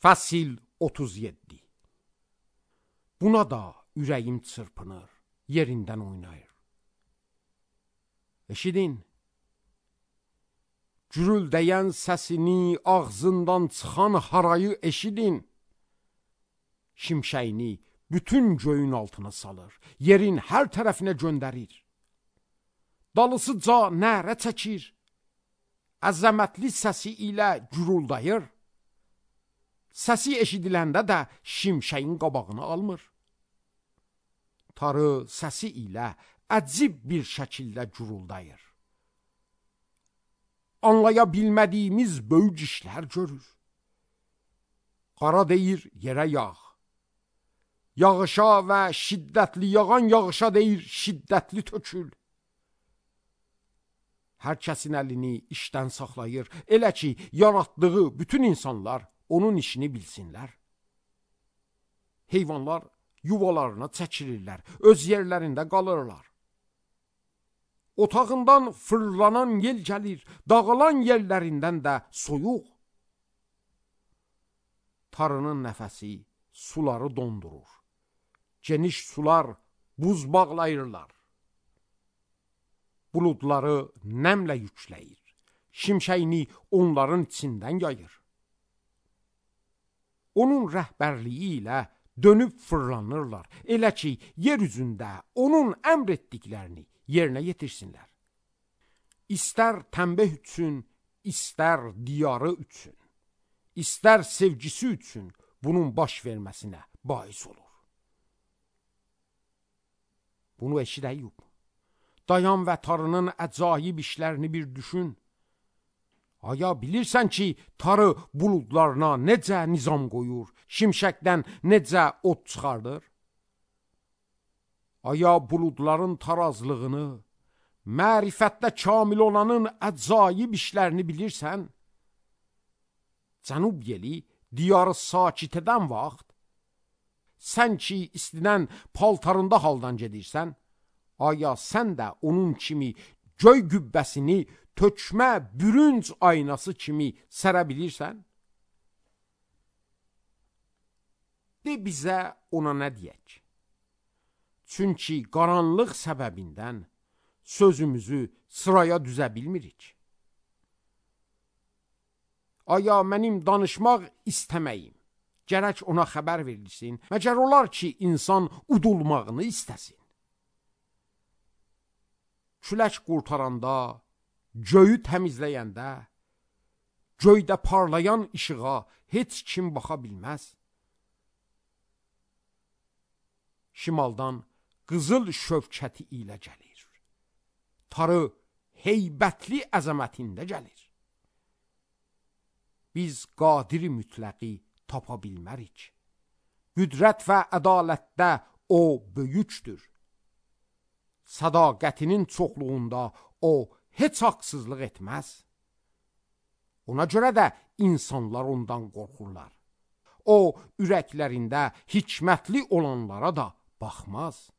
Fəsil 37. Buna da ürəyim çırpınır, yerindən oynayır. Eşidin, gürüldəyən səsini, ağzından çıxan harayı eşidin. Şimşəyini bütün göyün altına salır, yerin hər tərəfinə göndərir. Dalısıca nərə çəkir, əzəmətli səsi ilə gürüldəyir. Səsi eşidiləndə də şimşəyin qabağını almır. Tarı səsi ilə əcib bir şəkildə gürüldəyir. Anlaya bilmədiyimiz böyük işlər görür. Qara deyir, yerə yağ. Yağışa və şiddətli yağan yağışa deyir, şiddətli tökül. Hər kəsin əlini işdən saxlayır, elə ki, yaratdığı bütün insanlar onun işini bilsinlər. Heyvanlar yuvalarına çəkilirlər, öz yerlərində qalırlar. Otağından fırlanan yel gəlir, dağılan yerlərindən də soyuq. Tarının nəfəsi suları dondurur. Geniş sular buz bağlayırlar. Buludları nəmlə yükləyir. Şimşəyini onların içindən yayır. Onun rəhbərliyi ilə dönüb fırlanırlar. Elə ki, yer üzündə onun əmr etdiklərini yerinə yetirsinlər. İstər tənbeh üçün, istər diyarı üçün, istər sevgisi üçün bunun baş verməsinə bais olur. Bunu eşid Əyyub. Dayan və tarının əcaib işlərini bir düşün. Aya bilirsən ki, tarı buludlarına necə nizam qoyur, şimşəkdən necə od çıxardır? Aya buludların tarazlığını, mərifətdə kamil olanın əcaib işlərini bilirsən? Cənub yeli diyarı sakit edən vaxt, sən ki istidən paltarında haldan gedirsən, aya sən də onun kimi göy qübbəsini tökmə bürünc aynası kimi sərə bilirsən? De bizə ona nə deyək? Çünki qaranlıq səbəbindən sözümüzü sıraya düzə bilmirik. Aya mənim danışmaq istəməyim, gərək ona xəbər verilsin, məgər olar ki, insan udulmağını istəsin. Külək qurtaranda, göyü təmizləyəndə, göydə parlayan işığa heç kim baxa bilməz. Şimaldan qızıl şövkəti ilə gəlir. Tarı heybətli əzəmətində gəlir. Biz qadiri mütləqi tapa bilmərik. Qüdrət və ədalətdə o böyükdür. Sədaqətinin çoxluğunda o heç haqsızlıq etməz. Ona görə də insanlar ondan qorxurlar. O, ürəklərində hikmətli olanlara da baxmaz.